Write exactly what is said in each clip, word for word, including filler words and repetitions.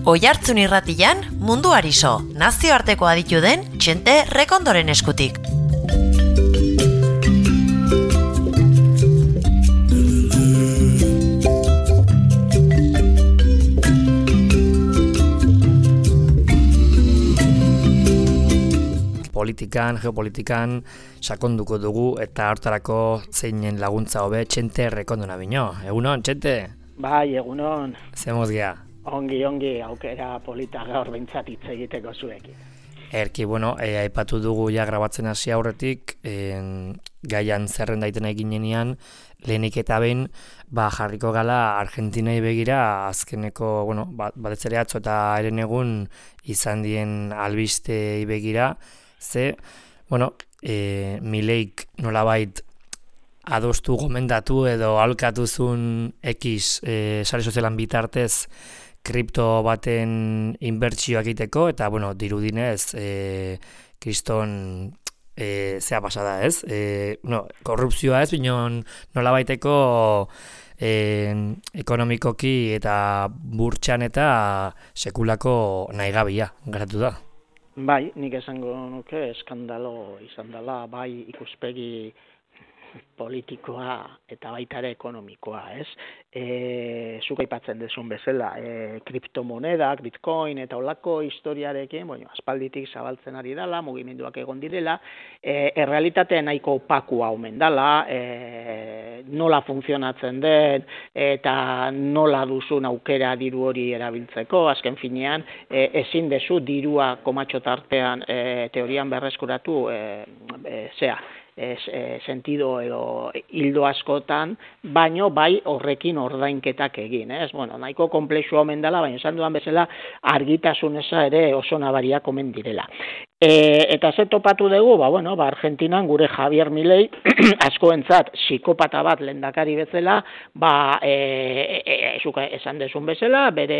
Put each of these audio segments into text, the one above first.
Oihartzun irratian, munduari so, nazioarteko aditu den Txente Rekondoren eskutik. Politikan, geopolitikan sakonduko dugu eta hortarako zeinen laguntza hobe Txente Rekondona bino. Egunon, Txente? Bai, egunon. Zemoz gea? Ongi, ongi, aukera polita gaur behintzat hitz egiteko zuekin. Erki, bueno, e, aipatu dugu ja grabatzen hasi aurretik, e, gaian zerren daiten eginenean, lehenik eta behin, ba, jarriko gala Argentinai begira, azkeneko, bueno, bat ere atzo eta eren egun izan dien albistei begira, ze, bueno, e, Mileik nolabait adostu gomendatu edo alkatuzun X e, sare sozialan bitartez kripto baten inbertsioak egiteko, eta, bueno, dirudinez, e, kriston e, zea pasada, ez? E, no, korrupzioa ez, binon nolabaiteko e, ekonomikoki eta burtsan eta sekulako nahigabia garatu da. Bai, nik esango nuke eskandalo izan dela, bai ikuspegi politikoa eta baita ere ekonomikoa, ez? E, zuk aipatzen dezun bezala, e, kriptomonedak, bitcoin eta olako historiarekin, bueno, aspalditik zabaltzen ari dela, mugimenduak egon direla, e, errealitatea nahiko opakua omen dela, e, nola funtzionatzen den eta nola duzun aukera diru hori erabiltzeko, azken finean, e, ezin dezu dirua komatxo tartean e, teorian berreskuratu, e, e, zea, Ez, e, sentido edo hildo askotan, baino bai horrekin ordainketak egin, ez? Bueno, nahiko komplexu omen dela, baina esan dudan bezala argitasun eza ere oso nabariak omen direla. E, eta ze topatu dugu, ba, bueno, ba, Argentinan gure Javier Milei askoentzat psikopata bat lehendakari bezala, ba, e, e, e, esan dezun bezala, bere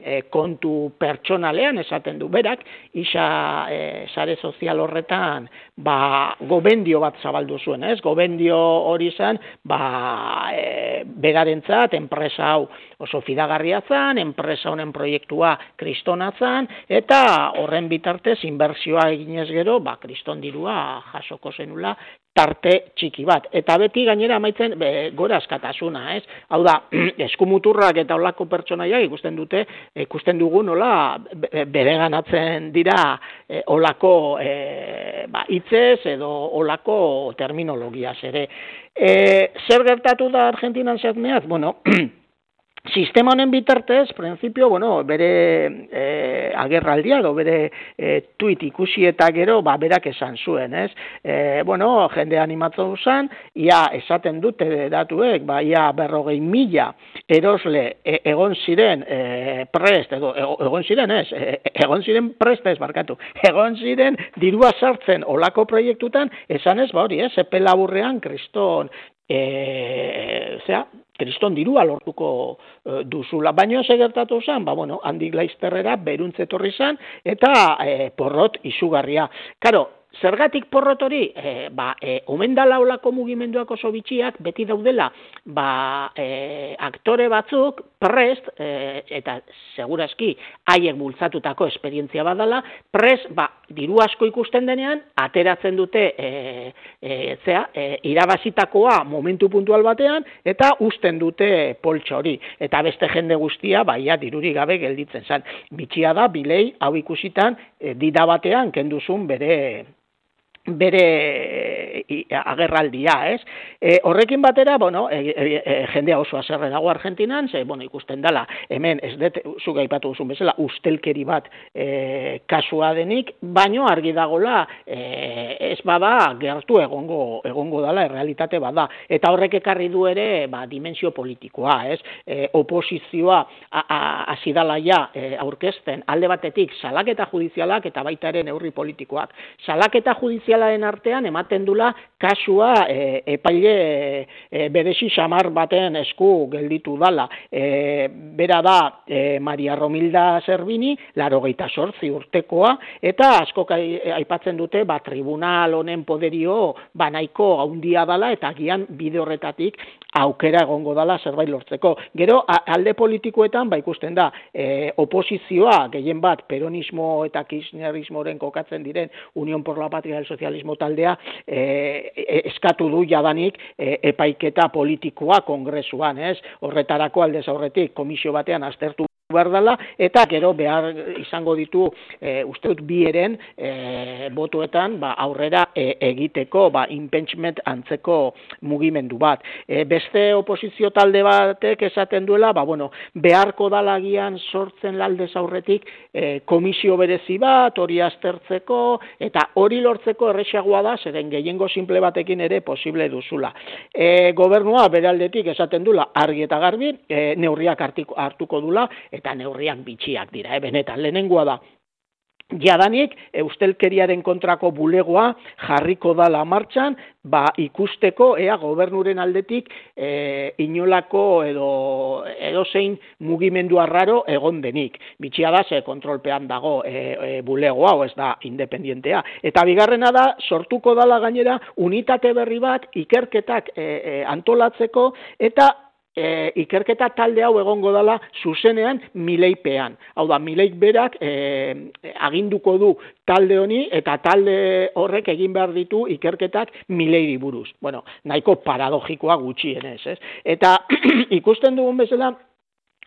e, kontu pertsonalean esaten du berak, isa e, sare sozial horretan, ba, gobendio bat zabaldu zuen, ez? Gobendio hori zen, ba, e, berarentzat, enpresa hau oso fidagarria zen, enpresa honen proiektua kristona zen, eta horren bitartez inbertsioa eginez gero, ba, kriston dirua jasoko zenula tarte txiki bat. Eta beti gainera amaitzen be, gora askatasuna, ez? Hau da, eskumuturrak eta olako pertsonaiak ikusten dute, ikusten dugu nola bereganatzen dira e, olako e, ba, hitzez edo olako terminologiaz ere. E, zer gertatu da Argentinan zehazmeaz? Bueno, sistema honen bitartez, printzipio, bueno, bere e, agerraldia edo bere e, tuit ikusi eta gero, ba, berak esan zuen, ez? E, bueno, jende animatu zen, ia esaten dute datuek, ba, ia berrogei mila erosle e, egon ziren e, prest, edo egon ziren, ez? E, egon ziren prest ez, barkatu, egon ziren dirua sartzen olako proiektutan, esan ez, ba, hori, ez? Epe laburrean, kriston, e, zera, kriston dirua lortuko e, duzula. Baina ze gertatu zen, ba, bueno, handik laizterrera beruntze etorri zen, eta e, porrot izugarria. Karo, zergatik porrot hori, e, ba, e, omen dala olako mugimenduak oso bitxiak, beti daudela, ba, e, aktore batzuk prest, e, eta segurazki haiek bultzatutako esperientzia badala, prest, ba, diru asko ikusten denean, ateratzen dute, e, e, zea, e, irabazitakoa momentu puntual batean, eta usten dute poltsa hori. Eta beste jende guztia, baia, dirurik gabe gelditzen zen. Bitxia da, Milei, hau ikusitan, e, dida batean, kenduzun bere bere agerraldia, ez? E, horrekin batera, bueno, e, e, e, jendea oso haserre dago Argentinan, ze, bueno, ikusten dela, hemen, ez dut, zuk aipatu duzun bezala, ustelkeri bat e, kasua denik, baino argi dagola, e, ez bada, gertu egongo, egongo dala, errealitate bada. Eta horrek ekarri du ere, ba, dimensio politikoa, ez? E, oposizioa hasi dala ja e, aurkezten, alde batetik, salaketa judizialak eta baita ere neurri politikoak. Salaketa judizialak artean ematen dula kasua e, epaile e, berezi xamar baten esku gelditu dala. E, bera da e, Maria Romilda Zerbini, laurogeita zortzi urtekoa, eta askok aipatzen dute ba, tribunal honen poderio ba, nahiko handia dala, eta agian bide horretatik aukera egongo dala zerbait lortzeko. Gero, alde politikoetan, ba ikusten da, e, oposizioa, gehien bat, peronismo eta kirchnerismoren kokatzen diren Unión por la Patria del Socialismo taldea, e, e, eskatu du jadanik e, epaiketa politikoa kongresuan, ez? Horretarako aldez aurretik komisio batean aztertu behar dela, eta gero behar izango ditu e, uste dut bi eren e, botuetan ba, aurrera e, egiteko ba, impeachment antzeko mugimendu bat. E, beste oposizio talde batek esaten duela, ba, bueno, beharko dalagian sortzen aldez aurretik e, komisio berezi bat, hori aztertzeko, eta hori lortzeko erresagoa da, zeren gehiengo simple batekin ere posible duzula. E, gobernua bere aldetik esaten dula argi eta garbi, e, neurriak hartiko, hartuko dula, eta neurriak bitxiak dira, eh? Benetan, lehenengoa da. Jadanik, eustelkeriaren kontrako bulegoa jarriko dala martxan, ba ikusteko ea gobernuren aldetik e, inolako edo edozein mugimendu arraro egon denik. Bitxia da, ze kontrolpean dago e, e, bulegoa, o ez da independientea. Eta bigarrena da, sortuko dala gainera unitate berri bat ikerketak e, e, antolatzeko eta E, ikerketa talde hau egongo dela zuzenean Mileipean. Hau da, Mileik berak e, aginduko du talde honi eta talde horrek egin behar ditu ikerketak Mileiri buruz. Bueno, nahiko paradogikoa gutxienez, ez? Eta ikusten dugun bezala,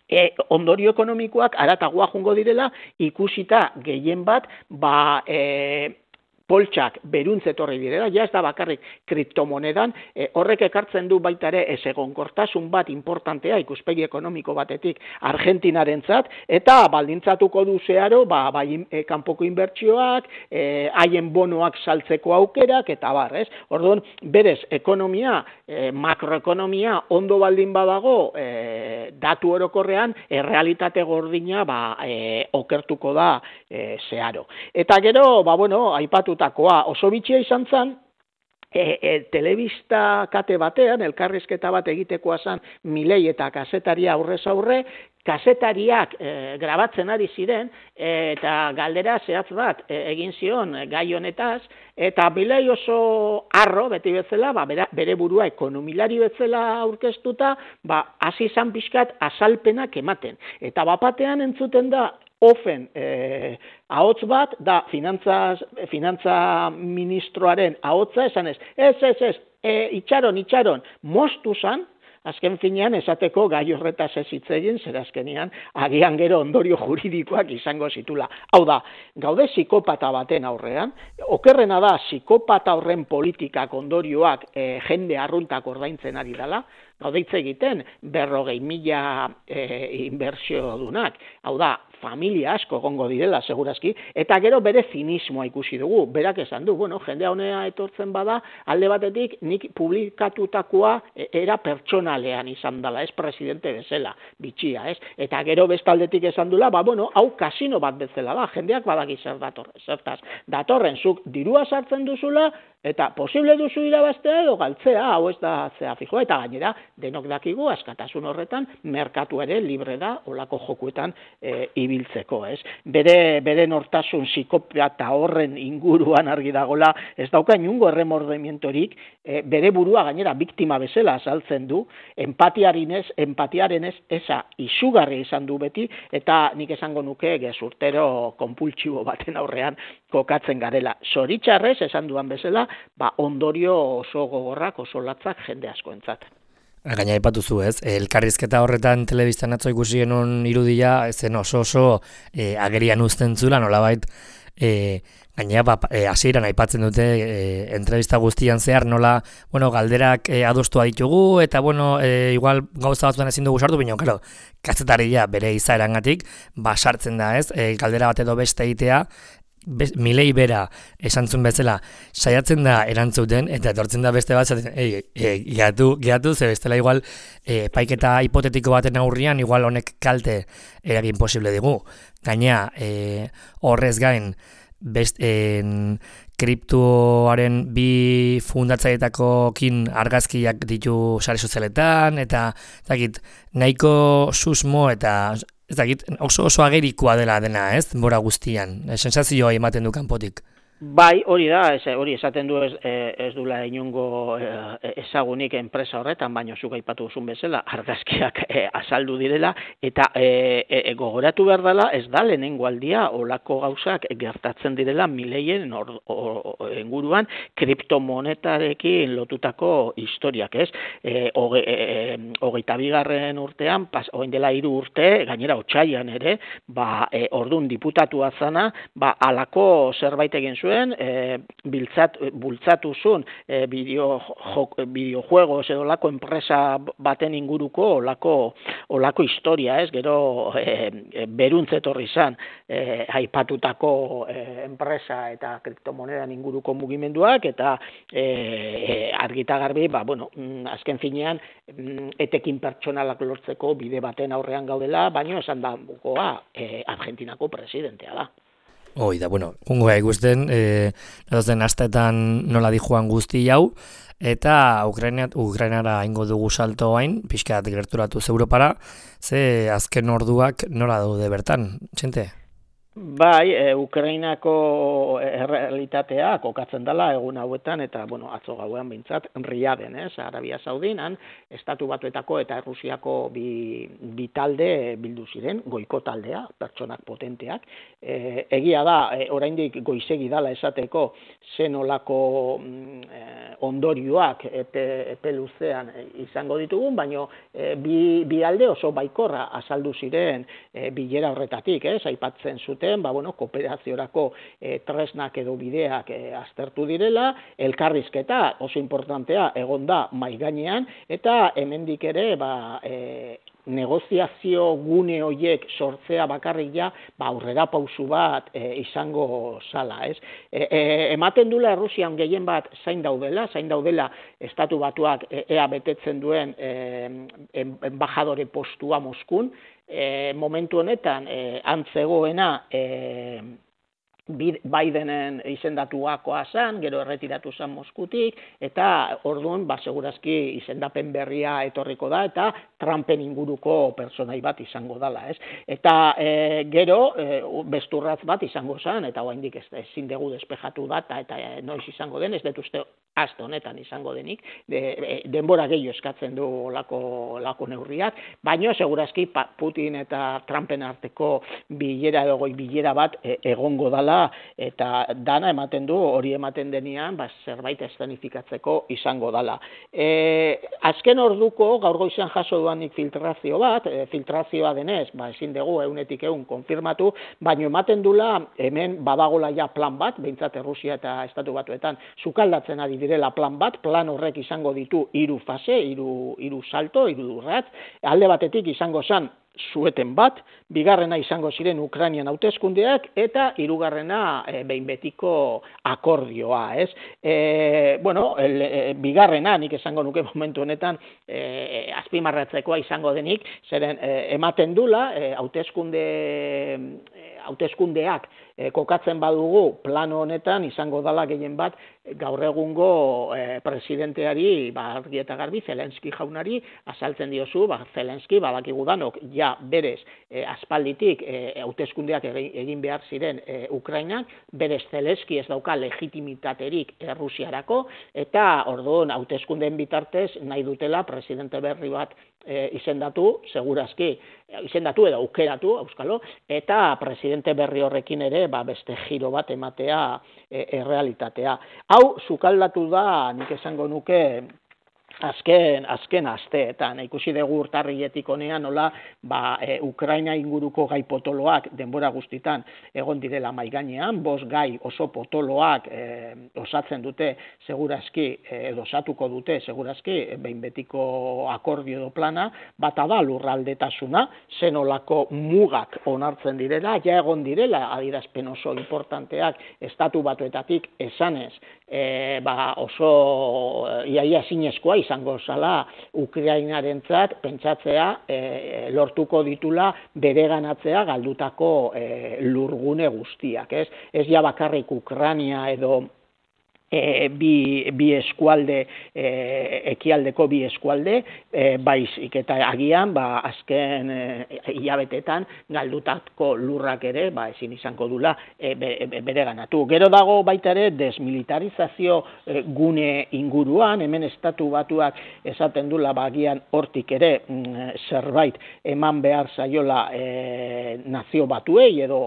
e, ondorio ekonomikoak aratagoa jungo direla, ikusita gehien bat, ba, e, poltsak beruntz etorri direla, ja ez da bakarrik kriptomonedan, e, horrek ekartzen du baita ere ezegonkortasun bat importantea ikuspegi ekonomiko batetik Argentinarentzat, eta baldintzatuko du zeharo, ba, bai e, kanpoko inbertsioak, haien e, bonoak saltzeko aukerak, eta bar, ez? Orduan, berez, ekonomia, e, makroekonomia ondo baldin badago, e, datu orokorrean, errealitate gordina, ba, e, okertuko da e, zeharo. Eta gero, ba, bueno, aipatu oso bitxia izan zen, e, e, telebista kate batean, elkarrizketa bat egitekoa zen Milei eta kazetaria aurrez aurre, kazetariak e, grabatzen ari ziren, e, eta galdera zehatz bat e, egin zion e, gai honetaz, eta Milei oso harro, beti bezala, ba, bera, bere burua ekonomilari bezala aurkeztuta, ba, hasi izan pixkat azalpenak ematen. Eta bapatean entzuten da, ofen eh, ahots bat, da finantza, finantza ministroaren ahotsa esan ez, ez, ez, ez, e, itxaron, itxaron, moztu zan, azken finean esateko gai horretaz ez hitz egin, zer azkenian agian gero ondorio juridikoak izango zitula. Hau da, gaude psikopata baten aurrean, okerrena da psikopata horren politikak ondorioak e, jende arruntak ordaintzen ari dela, gaude hitz egiten berrogei mila e, inbertsio dunak, hau da, familia asko egongo direla, segurazki, eta gero bere zinismoa ikusi dugu, berak esan du, bueno, jendea honea etortzen bada, alde batetik nik publikatutakoa era pertsonalean izan dela, ez presidente bezala, bitxia, ez? Eta gero bestaldetik esan dula, ba, bueno, hau kasino bat bezala da, jendeak badaki zer datorren, zertaz, datorren zuk dirua sartzen duzula, eta posible duzu irabaztea edo galtzea, hau ez da zea fijoa, eta gainera, denok dakigu, askatasun horretan, merkatu ere libre da, olako jokuetan e, ibiltzeko, ez? Bere, bere nortasun psikopata horren inguruan argi dagola, ez dauka inungo erremordemientorik, e, bere burua gainera biktima bezala azaltzen du, empatiarinez, empatiarenez eza izugarri izan du beti, eta nik esango nuke gezurtero konpultsibo baten aurrean kokatzen garela. Zoritxarrez, esan duan bezala, ba, ondorio oso gogorrak, oso latzak jende askoentzat. Gaina aipatu zu, ez? Elkarrizketa horretan telebistan atzo ikusi genuen irudia, zen oso oso e, agerian uzten zula, nolabait, e, gaina ba, e, hasieran aipatzen dute e, entrevista guztian zehar, nola, bueno, galderak e, adostu ditugu, eta, bueno, e, igual gauza batzuan ezin dugu sartu, baina, claro, kazetaria bere izaerangatik, ba, sartzen da, ez? E, galdera bat edo beste egitea, Bez, Milei bera esantzun bezala saiatzen da erantzuten eta etortzen da beste bat zaten, ei, e, geatu, geatu, ze bestela igual e, paiketa hipotetiko baten aurrian igual honek kalte eragin posible digu. Gaina e, horrez gain best, en, kriptoaren bi fundatzaietakokin argazkiak ditu sare sozialetan eta dakit, nahiko susmo eta ez dakit, oso oso agerikoa dela dena, ez? Bora guztian. Sensazioa ematen du kanpotik. Bai, hori da, ez, hori esaten du ez, ez dula inongo ezagunik enpresa horretan, baina zuk aipatu duzun bezala, argazkiak e, azaldu direla, eta e, e, gogoratu behar dela, ez da lehenengo aldia, olako gauzak gertatzen direla mileien or, or, or, inguruan kriptomonetarekin lotutako historiak, ez? E, hoge, e, hogeita bigarren urtean, pas, oin dela hiru urte, gainera otsailean ere, ba, e, ordun diputatua zana, ba, alako zerbait egin zuen, E, biltzat, bultzatu zuen e, bideo, bideojuegos edo lako enpresa baten inguruko olako, olako historia, ez? Gero e, beruntzetorri zan e, aipatutako e, enpresa eta kriptomonedan inguruko mugimenduak eta e, argita garbi, ba, bueno, azken finean etekin pertsonalak lortzeko bide baten aurrean gaudela, baino esan da bukoa e, Argentinako presidentea da. Hoi da, bueno, jungo gai ikusten, e, edozen astetan nola di joan guzti hau, eta Ukrainat, Ukrainara ingo dugu salto hain, pixkat gerturatu Europara, ze azken orduak nola daude bertan, txente? Bai, e, Ukrainako errealitatea kokatzen dela egun hauetan, eta, bueno, atzo gauean behintzat, Riaden, ez, Arabia Saudinan, Estatu Batuetako eta Errusiako bi, bi talde bildu ziren, goiko taldea, pertsonak potenteak. E, egia da, e, oraindik goizegi dala esateko zenolako e, ondorioak epe, epe luzean izango ditugun, baino e, bi, bi alde oso baikorra azaldu ziren e, bilera horretatik, ez, aipatzen zuten, ba, bueno, kooperaziorako e, tresnak edo bideak e, aztertu direla, elkarrizketa oso importantea egon da mai gainean, eta hemendik ere ba, e, negoziazio gune horiek sortzea bakarrik ja, ba, aurrera pausu bat e, izango zala, ez? E, e, ematen dula Errusian gehien bat zain daudela, zain daudela Estatu Batuak e, ea betetzen duen e, embajadore postua Moskun, e, momentu honetan e, antzegoena e, Bidenen izendatuakoa zan, gero erretiratu zan Moskutik, eta orduan, ba, segurazki izendapen berria etorriko da, eta Trumpen inguruko pertsonai bat izango dala, ez? Eta e, gero, e, besturratz bat izango zan, eta oraindik ez ezin dugu despejatu data, eta e, noiz izango den, ez dut uste aste honetan izango denik, de, e, denbora gehiago eskatzen du lako, lako neurriak, baina segurazki Putin eta Trumpen arteko bilera edo goi bilera bat e, egongo dala, eta dana ematen du, hori ematen denean, ba, zerbait eszenifikatzeko izango dala. E, azken orduko, gaur goizean jaso duanik filtrazio bat, e, filtrazioa denez, ba, ezin dugu eunetik egun konfirmatu, baino ematen dula, hemen badagola ja plan bat, behintzat Errusia eta Estatu Batuetan, sukaldatzen ari direla plan bat, plan horrek izango ditu hiru fase, hiru hiru salto, hiru urrats, alde batetik izango zan, zueten bat, bigarrena izango ziren Ukrainian hauteskundeak eta hirugarrena e, behin betiko akordioa, ez? E, bueno, el, e, bigarrena nik esango nuke momentu honetan e, azpimarratzekoa izango denik, zeren e, ematen dula e, hauteskunde e, hauteskundeak e, kokatzen badugu plano honetan izango dala gehien bat gaur egungo e, presidenteari, ba, argi eta garbi, Zelenski jaunari, azaltzen diozu, ba, Zelenski, badakigu danok, ja berez e, aspalditik hauteskundeak e, egin behar ziren e, Ukrainak, berez Zelenski ez dauka legitimitaterik Errusiarako, eta orduan hauteskundeen bitartez nahi dutela presidente berri bat e, izendatu, segurazki, izendatu edo aukeratu, auskalo, eta presidente berri horrekin ere, ba, beste giro bat ematea e, errealitatea. Hau, sukaldatu da, nik esango nuke, azken, azken asteetan, ikusi dugu urtarriletik honean, nola, ba, e, Ukraina inguruko gai potoloak denbora guztitan egon direla mai gainean, bost gai oso potoloak e, osatzen dute segurazki, e, edo osatuko dute segurazki, behin betiko akordio edo plana, bata da lurraldetasuna, zenolako mugak onartzen direla, ja egon direla adierazpen oso importanteak Estatu Batuetatik esanez, e, ba, oso iaia zinezkoa izango zala Ukrainarentzat pentsatzea e, lortuko ditula bereganatzea galdutako e, lurgune guztiak, ez? Ez ja bakarrik Ukraina edo E, bi, bi eskualde, e, ekialdeko bi eskualde, e, baizik eta agian, ba, azken e, hilabetetan galdutako lurrak ere, ba, ezin izango dula e, be, be, bere ganatu. Gero dago baita ere desmilitarizazio e, gune inguruan, hemen estatu batuak esaten dula, ba, agian hortik ere mm, zerbait eman behar zaiola e, nazio batuei edo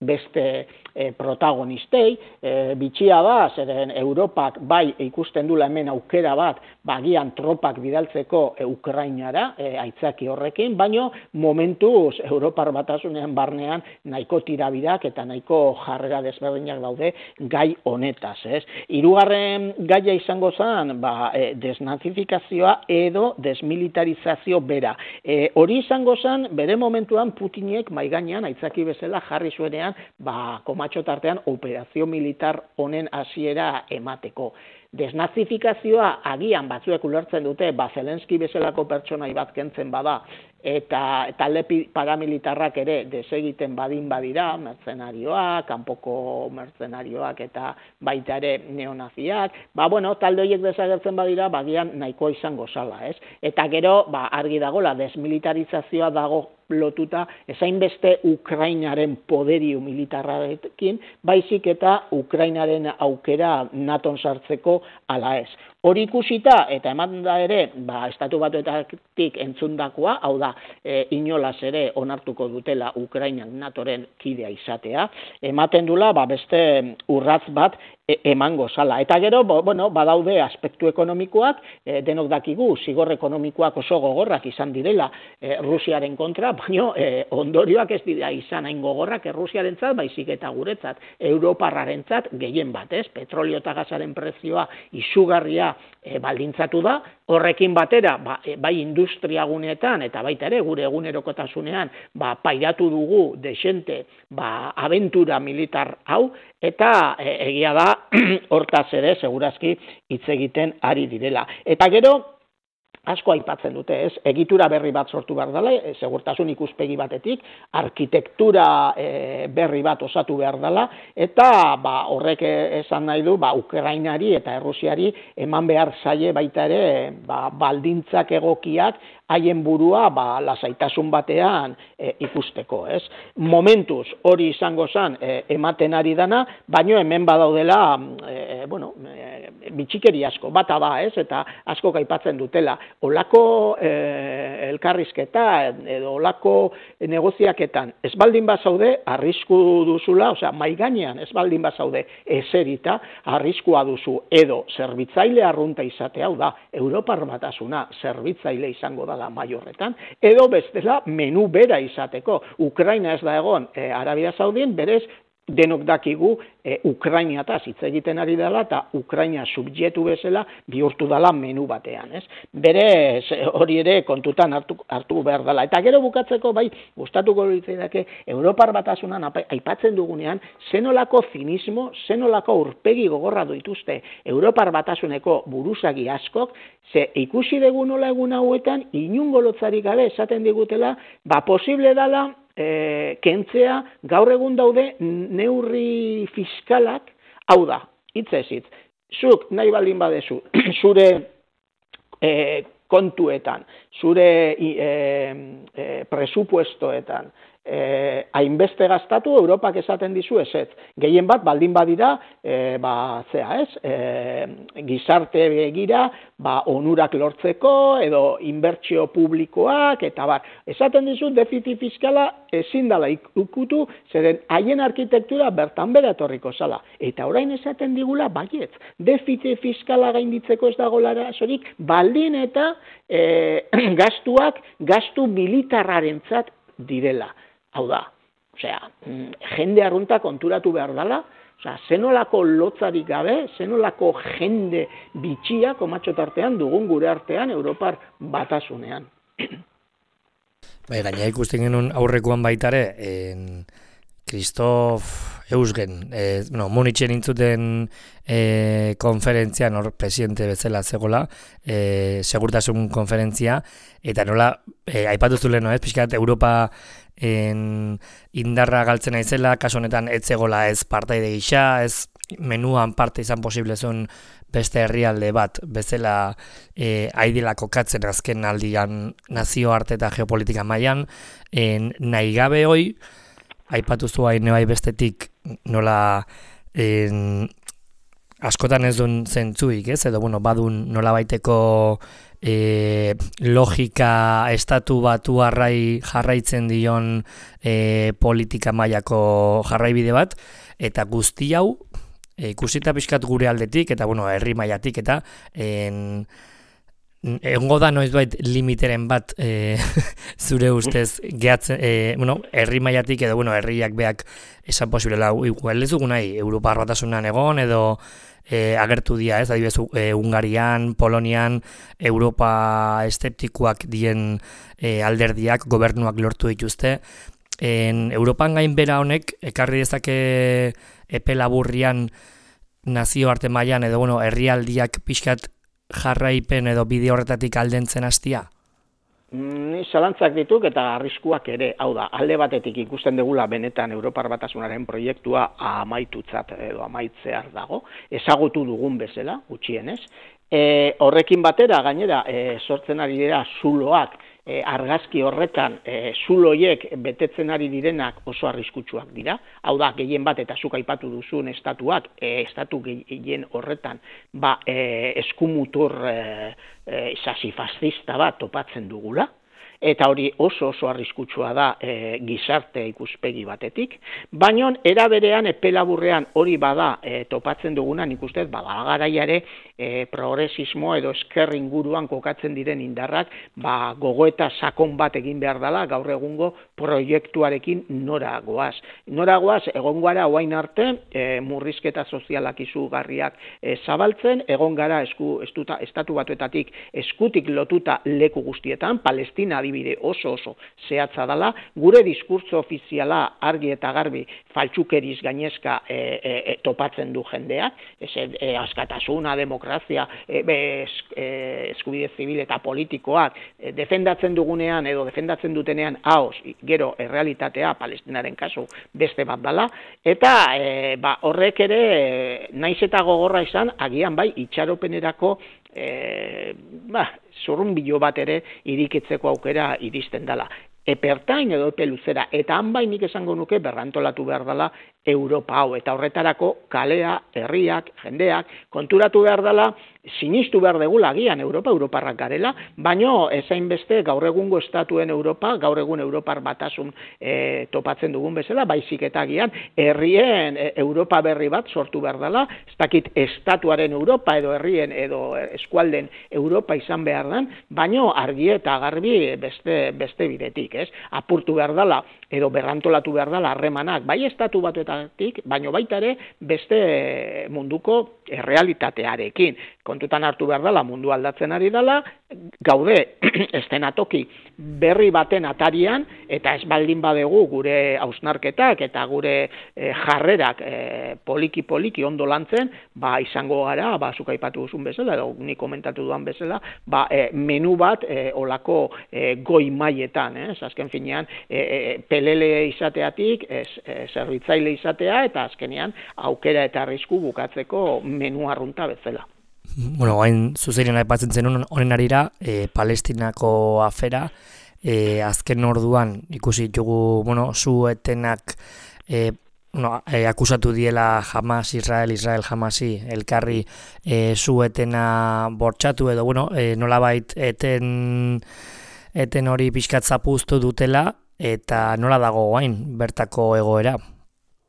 beste e, protagonistei, e, bitxia da, zeren Europak bai ikusten dula hemen aukera bat, bagian tropak bidaltzeko e, Ukrainara, e, aitzaki horrekin, baino momentuz Europar Batasunean barnean nahiko tirabirak eta nahiko jarrera desberdinak daude gai honetaz, ez? Hirugarren gaia izango zen, ba, e, desnazifikazioa edo desmilitarizazio bera. E, hori izango zen, bere momentuan Putinek maigainean aitzaki bezala jarri zuenean, ba, komatxo tartean operazio militar honen hasiera emateko. Desnazifikazioa agian batzuek ulertzen dute, ba, Zelenski bezalako pertsonai bat kentzen bada, eta talde paramilitarrak ere desegiten badin badira, mertzenarioak, kanpoko mertzenarioak eta baita ere neonaziak, ba, bueno, talde horiek desagertzen badira, bagian nahikoa izango zala, ez? Eta gero, ba, argi dagola, desmilitarizazioa dago lotuta, ezain beste Ukrainaren poderio militarrarekin, baizik eta Ukrainaren aukera naton sartzeko ala ez. Hori ikusita, eta eman da ere, ba, estatu batuetatik entzundakoa, hau da, e, inolaz ere onartuko dutela Ukrainan natoren kidea izatea, ematen dula, ba, beste urratz bat e, emango zala. Eta gero, bo, bueno, badaude aspektu ekonomikoak, e, denok dakigu, zigor ekonomikoak oso gogorrak izan direla e, Rusiaren kontra, baina e, ondorioak ez dira izan hain gogorrak Rusiarentzat, baizik eta guretzat, Europarrarentzat gehien bat, ez? Petrolio eta gasaren prezioa izugarria E, baldintzatu da, horrekin batera, ba, e, bai industriaguneetan eta baita ere gure egunerokotasunean, ba, pairatu dugu desente, ba, abentura militar hau, eta e, egia da, hortaz ere, segurazki hitz egiten ari direla. Eta gero, asko aipatzen dute, ez? Egitura berri bat sortu behar dela, e, segurtasun ikuspegi batetik, arkitektura e, berri bat osatu behar dela, eta ba, horrek esan nahi du, ba, Ukrainari eta Errusiari eman behar zaie baita ere, ba, baldintzak egokiak, haien burua ba, lasaitasun batean e, ikusteko, ez? Momentuz hori izango zen e, ematen ari dana, baino hemen badaudela e, bueno, e, bitxikeri asko, bata ba, ez? Eta asko aipatzen dutela. Olako e, elkarrizketa edo olako negoziaketan ez baldin bazaude, arrisku duzula, osea, maigainean ez baldin bazaude eserita, arriskua duzu edo zerbitzaile arrunta izatea, hau da, Europar Batasuna zerbitzaile izango da maiorretan, edo bestela menu bera izateko. Ukraina ez da egon, e, Arabia Saudin, berez, denok dakigu e, Ukrainiataz hitz egiten ari dela eta Ukraina subjektu bezala bihurtu dela menu batean, ez? Berez, hori ere kontutan hartu, hartu behar dela. Eta gero bukatzeko bai, gustatuko litzaidake Europar Batasunan aipatzen dugunean, zenolako zinismo, zenolako aurpegi gogorra dituzte Europar Batasuneko buruzagi askok, ze ikusi dugu nola egun hauetan, inungo lotzarik gabe esaten digutela, ba posible dela, E, kentzea gaur egun daude neurri fiskalak, hau da, hitzez hitz, zuk nahi baldin badezu, zure e, kontuetan, zure e, e, presupuestoetan, eh, hainbeste gastatu, Europak esaten dizu ezetz. Gehien bat, baldin badira, eh, ba, zea ez, eh, gizarte begira, ba, onurak lortzeko, edo inbertsio publikoak, eta bar. Esaten dizu, defizit fiskala ezin dela ikutu, zeren haien arkitektura bertan bera etorriko zala. Eta orain esaten digula, baietz, defizit fiskala gainditzeko ez dago arazorik, baldin eta eh, gastuak, gastu militarrarentzat direla. Hau da, osea, jende arrunta konturatu behar dela, osea, zenolako lotzarik gabe, zenolako jende bitxia komatxo tartean dugun gure artean Europar Batasunean. Bai, gaina ikusten genuen aurrekoan baitare, en Christoph Eusgen, eh, no, Munitzen intzuten eh, konferentzian, hor presidente bezala zegoela, eh, segurtasun konferentzia, eta nola, eh, aipatu zuen, no, ez, pixkat, Europa en, indarra galtzen aizela, kasu honetan ez zegoela ez partaide gisa, ez menuan parte izan posible zuen beste herrialde bat, bezala e, aidela kokatzen azken aldian nazioarte eta geopolitika mailan, en, nahi gabe hoi, aipatu zuain bai bestetik nola en, askotan ez duen zentzuik, ez? Edo, bueno, badun nola baiteko e, logika estatu batu arrai jarraitzen dion e, politika mailako jarraibide bat, eta guzti hau, e, ikusita pixkat gure aldetik, eta, bueno, herri mailatik, eta en, egongo da noizbait limiteren bat e, zure ustez gehatzen, e, bueno, herri mailatik edo, bueno, herriak beak esan posiblela, igual ez dugu nahi, Europar Batasunean egon, edo e, agertu dira, ez, adibidez, e, Hungarian, Polonian, Europa eszeptikoak dien e, alderdiak, gobernuak lortu dituzte. En, Europan gainbera honek, ekarri dezake epe laburrian nazioarte mailan edo, bueno, herrialdiak pixkat jarraipen edo bide horretatik aldentzen hastia? Ni zalantzak dituk eta arriskuak ere, hau da, alde batetik ikusten dugula benetan Europar Batasunaren proiektua amaitutzat edo amaitzear dago, ezagutu dugun bezala, gutxienez. E, horrekin batera, gainera, e, sortzen ari dira zuloak, E, argazki horretan e, zuloiek betetzen ari direnak oso arriskutsuak dira. Hau da, gehien bat eta zuk aipatu duzun estatuak, e, estatu gehien horretan ba, e, eskumutur e, e, sasifascista bat topatzen dugula. Eta hori oso oso arriskutsua da e, gizarte ikuspegi batetik, baina era berean epe laburrean hori bada e, topatzen duguna, nik ustez bada garaiare e, progresismo edo esker inguruan kokatzen diren indarrak, ba gogoeta sakon bat egin behar dela gaur egungo proiektuarekin nora goaz. Nora goaz egon gara orain arte e, murrizketa sozialak izugarriak e, zabaltzen, egon gara esku estuta, estatu batuetatik eskutik lotuta leku guztietan, Palestina bide oso oso zehatza dela, gure diskurtso ofiziala argi eta garbi faltsukeriz gainezka e, e, topatzen du jendeak, ez, e, askatasuna, demokrazia, e, es, e, eskubide zibil eta politikoak e, defendatzen dugunean edo defendatzen dutenean haoz, gero errealitatea Palestinaren kasu beste bat dela, eta e, ba, horrek ere e, naiz eta gogorra izan, agian bai itxaropenerako E, ba, zurrunbilo bat ere irikitzeko aukera iristen dela. Epertain edo epe luzera, eta han bai nik esango nuke berrantolatu behar dela Europa hau, eta horretarako kalea, herriak, jendeak, konturatu behar dela, sinistu behar degula agian Europa, Europarrak garela, baino ezain beste gaur egungo estatuen Europa, gaur egun Europar Batasun e, topatzen dugun bezala, baizik eta agian herrien e, Europa berri bat sortu behar dela, ez dakit estatuaren Europa edo herrien edo eskualden Europa izan behar den, baino argi eta garbi beste, beste bidetik, ez? Apurtu behar dela edo berrantolatu behar dela harremanak, bai estatu batuetatik, baino baita ere beste munduko errealitatearekin. Kontutan hartu behar dela, mundu aldatzen ari dela, gaude estenatoki berri baten atarian, eta ez baldin badegu gure hausnarketak eta gure e, jarrerak e, poliki-poliki ondo lantzen, ba izango gara, ba zuk aipatu duzun bezala, edo ni komentatu duan bezala, ba e, menu bat e, olako e, goi mailetan, eh? Azken finean, e, e, pelele izateatik, e, e, zerbitzaile izatea, eta azkenean aukera eta arrisku bukatzeko menu arrunta bezala. Bueno, hain zuzenean aipatzen zen honen arira, e, Palestinako afera, e, azken orduan ikusi ditugu, bueno, su-etenak e, bueno, e, akusatu diela Hamas, Israel, Israel, Hamasi, elkarri e, su-etena bortxatu edo, bueno, e, nolabait eten, eten hori pixkat zapuztu dutela, eta nola dago hain bertako egoera?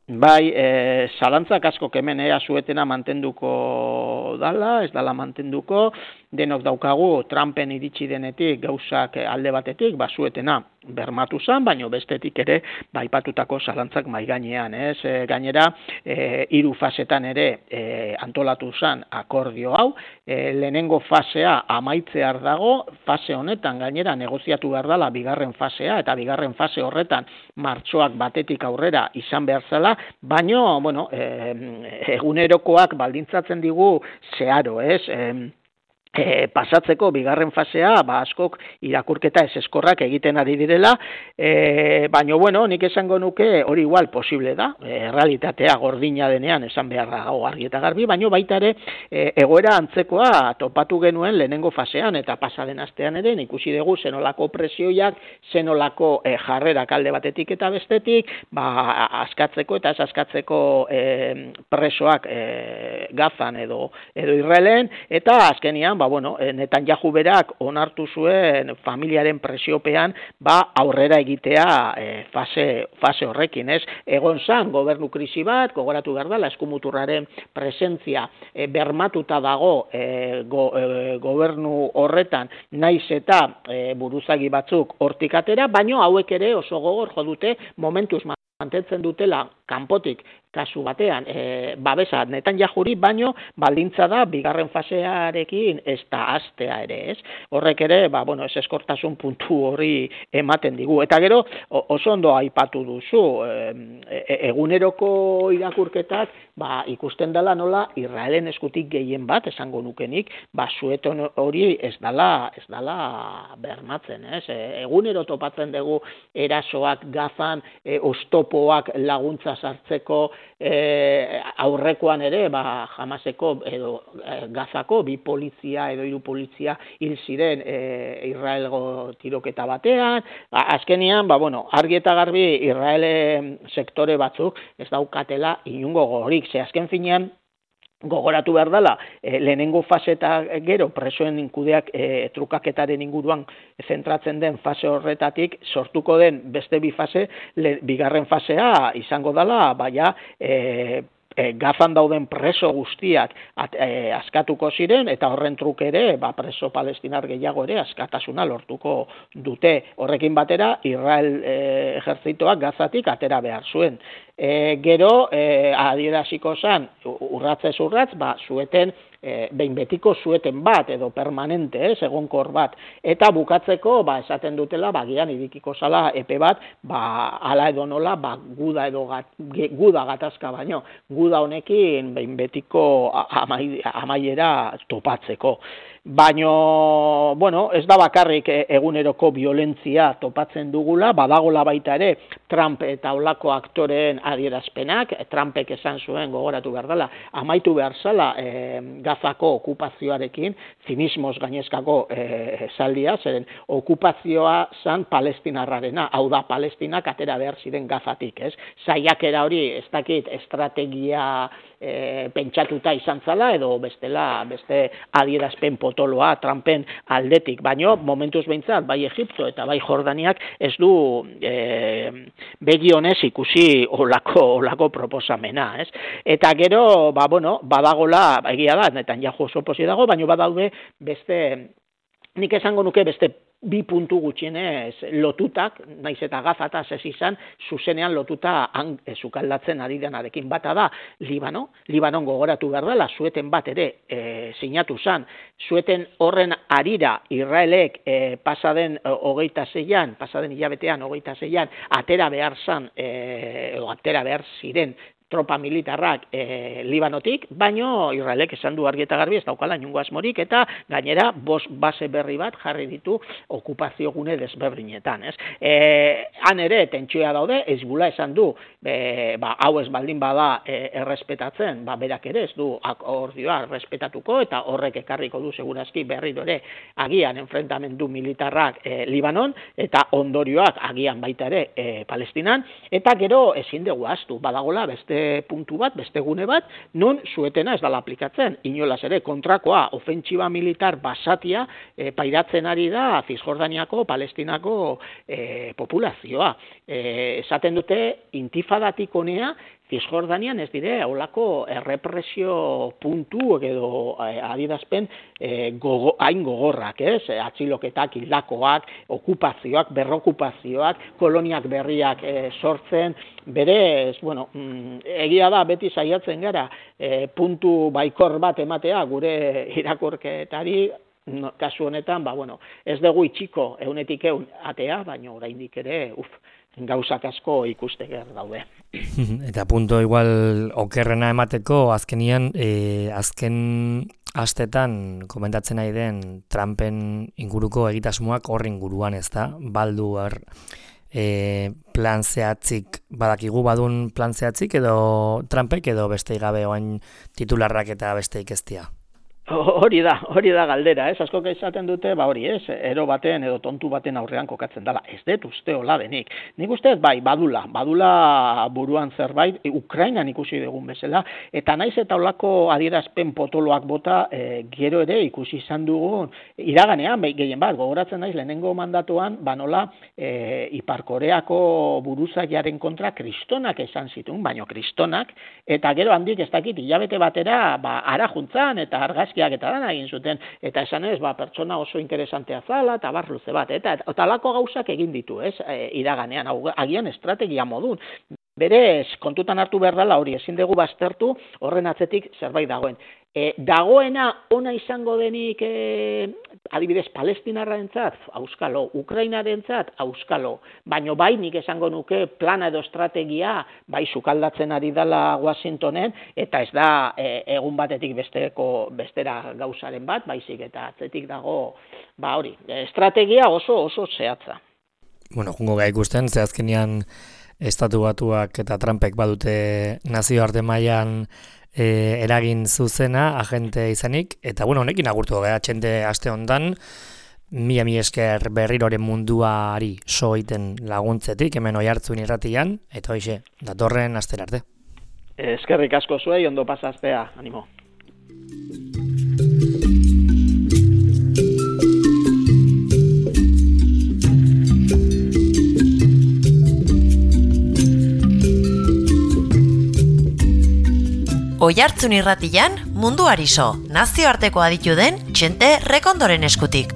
Bai, e, zalantzak asko hemen ea zuetena mantenduko dala, ez dala mantenduko, denok daukagu Trumpen iritsi denetik gauzak alde batetik, ba zuetena bermatu zen, baino bestetik ere baipatutako zalantzak mai gainean, ez? E, gainera, e, hiru fasetan ere e, antolatu zen akordio hau, e, lehenengo fasea amaitzear dago, fase honetan gainera negoziatu behar dela bigarren fasea, eta bigarren fase horretan martxoak batetik aurrera izan behar zela, baino, bueno, e, egunerokoak baldintzatzen digu zeharo, ez? E, E, pasatzeko bigarren fasea, ba, askok irakurketa ez eskorrak egiten ari direla, e, baina, bueno, nik esango nuke hori igual posible da, e, realitatea gordina denean esan beharra gau argi eta garbi, baina baita ere e, egoera antzekoa topatu genuen lehenengo fasean, eta pasaden astean ere ikusi dugu zenolako presioiak, zenolako e, jarrerak alde batetik eta bestetik, ba, askatzeko eta ez askatzeko e, presoak e, Gazan edo, edo Israelen, eta azkenian, ba, bueno, Netanyahu berak onartu zuen familiaren presiopean, ba, aurrera egitea e, fase, fase horrekin, ez? Egon zan, gobernu krisi bat, gogoratu behar da, eskumuturraren presentzia e, bermatuta dago e, go, e, gobernu horretan, naiz eta e, buruzagi batzuk hortik atera, baino hauek ere oso gogor jo dute momentuz mantentzen dutela kanpotik kasu batean, e, babesa Netanyahuri, baino baldintza da bigarren fasearekin ez da astea ere, ez? Horrek ere, ba, bueno, ez eskortasun puntu hori ematen digu. Eta gero, oso ondo aipatu duzu, e, eguneroko irakurketak, ba, ikusten dela nola Israelen eskutik gehien bat, esango nukenik, ba, sueton hori ez dala, ez dala bermatzen, ez? E, egunero topatzen dugu erasoak Gazan, e, oztopoak laguntza sartzeko, E, aurrekoan ere, ba, Hamaseko edo e, Gazako bi polizia edo hiru polizia hil ziren e, Israelgo tiroketa batean. Azkenian, ba, bueno, argi eta garbi Israele sektore batzuk ez daukatela inungo gogorik. Ze azken finean, gogoratu behar dela, e, lehenengo fase eta gero presoen inkudeak e, trukaketaren inguruan zentratzen den fase horretatik sortuko den beste bi fase, le, bigarren fasea izango dela, baina e, e, Gazan dauden preso guztiak at, e, askatuko ziren, eta horren truke ere, ba, preso palestinar gehiago ere askatasuna lortuko dute. Horrekin batera, Israel e, ejertzitoak Gazatik atera behar zuen. E, gero, e, adieraziko zan, urratzez urratz, ba, zueten, e, behin betiko zueten bat, edo permanente, ez, egonkor bat, eta bukatzeko, ba, esaten dutela, ba, gian irikiko zala epe bat, ba, ala edo nola, ba, guda edo gat, guda gatazka baino, guda honekin behin betiko amai, amaiera topatzeko. Baino, bueno, ez da bakarrik eguneroko violentzia topatzen dugula, badagola baita ere Trump eta olako aktoreen adierazpenak, Trumpek esan zuen gogoratu behar dela, amaitu behar zala e, Gazako okupazioarekin, zinismoz gainezkako e, esaldia, zeren okupazioa zan palestinarrarena, hau da Palestinak atera behar ziren Gazatik, ez? Saiakera hori ez dakit estrategia e, pentsatuta izan zala, edo bestela, beste adierazpen potoloa Trumpen aldetik, baino momentuz behintzat, bai Egipto eta bai Jordaniak ez du e, begionez ikusi olako, olako proposamena, ez? Eta gero, ba, bueno, badagola, egia da, Netanyahu oso posi dago, baino badaude beste, nik esango nuke beste bi puntu gutxienez lotutak, naiz eta Gazata ez izan, zuzenean lotuta han sukaldatzen ari denarekin. Bata da, Libano, Libanon gogoratu behar dela, zueten bat ere e, sinatu zan, zueten horren arira Israelek e, pasaden hogeita zeian, pasaden hilabetean hogeita zeian, atera behar zan, e, atera behar ziren, tropa militarrak e, Libanotik, baino Israelek esan du argi eta garbi ez daukala inungo asmorik, eta gainera bost base berri bat jarri ditu okupazio gune desberdinetan, ez? E, han ere tentsioa daude, Hezbollah esan du, e, ba, hau ez baldin bada e, errespetatzen, ba, berak ere ez du akordioa errespetatuko, eta horrek ekarriko du segurazki berriro ere agian enfrentamendu militarrak e, Libanon, eta ondorioak agian baita ere e, Palestinan, eta gero ezin dugu ahaztu, badagola beste puntu bat, beste gune bat, non zuetena ez dala aplikatzen. Inolaz ere, kontrakoa, ofentsiba militar basatia e, pairatzen ari da Zisjordaniako, Palestinako e, populazioa. E, esaten dute, intifadatik honea, Zisjordanian ez dire, holako errepresio puntu edo eh, adierazpen eh, gogo, hain gogorrak, ez? Atxiloketak, hildakoak, okupazioak, berrokupazioak, koloniak berriak eh, sortzen, berez, bueno, mm, egia da beti saiatzen gara eh, puntu baikor bat ematea gure irakurketari, no, kasu honetan, ba, bueno, ez dugu itxiko eunetik eun atea, baina oraindik ere, uf, gauzak asko ikusteger daude. Eta punto igual okerrena emateko, azkenian, e, azken astetan komentatzen nahi den Trumpen inguruko egitasmoak horren inguruan, ez da? Baldu er, e, plan zehatzik, badakigu badun plan zehatzik edo Trumpek edo besteik gabe oain titularrak eta besteik eztia? Hori da, hori da galdera, ez? Askok esaten dute, ba hori, ez? Ero baten edo tontu baten aurrean kokatzen dela. Ez dut uste hola denik. Nik uste bai, badula, badula buruan zerbait, Ukrainan ikusi dugun bezala, eta naiz eta holako adierazpen potoloak bota, e, gero ere ikusi izan dugun, iraganean, bai, gehien bat, gogoratzen naiz lehenengo mandatuan, banola, e, Ipar Koreako buruzagiaren kontra kristonak esan zituen, baino kristonak, eta gero handik ez dakit, hilabete batera, ba, ara juntzan, eta argaz eta dana egin zuten, eta esan ez, ba, pertsona oso interesantea zala, eta bar luze bat, eta talako gauzak egin ditu, ez, e, iraganean, agian estrategia modun. Berez, kontutan hartu behar dela hori, ezin dugu baztertu, horren atzetik zerbait dagoen. E, dagoena ona izango denik, e, adibidez, Palestinarrarentzat, auskalo, Ukrainarentzat, auskalo, baino bai nik esango nuke plana edo estrategia, bai sukaldatzen ari dela Washingtonen, eta ez da e, egun batetik besteko, bestera gauzaren bat, baizik eta atzetik dago, ba hori, estrategia oso oso zehatza. Bueno, jungo gai ikusten, ze azkenean Estatu Batuak eta Trumpek badute nazioarte mailan e, eragin zuzena, agente izanik, eta bueno, honekin agurtu gara txente aste hontan, mila mi esker berriroren munduari so egiten laguntzetik, hemen Oihartzun irratian, eta hoixe, datorren astera arte. Eskerrik asko zuei, ondo pasaztea, animo. Oihartzun irratian munduari so, nazioarteko aditu den txente Rekondoren eskutik.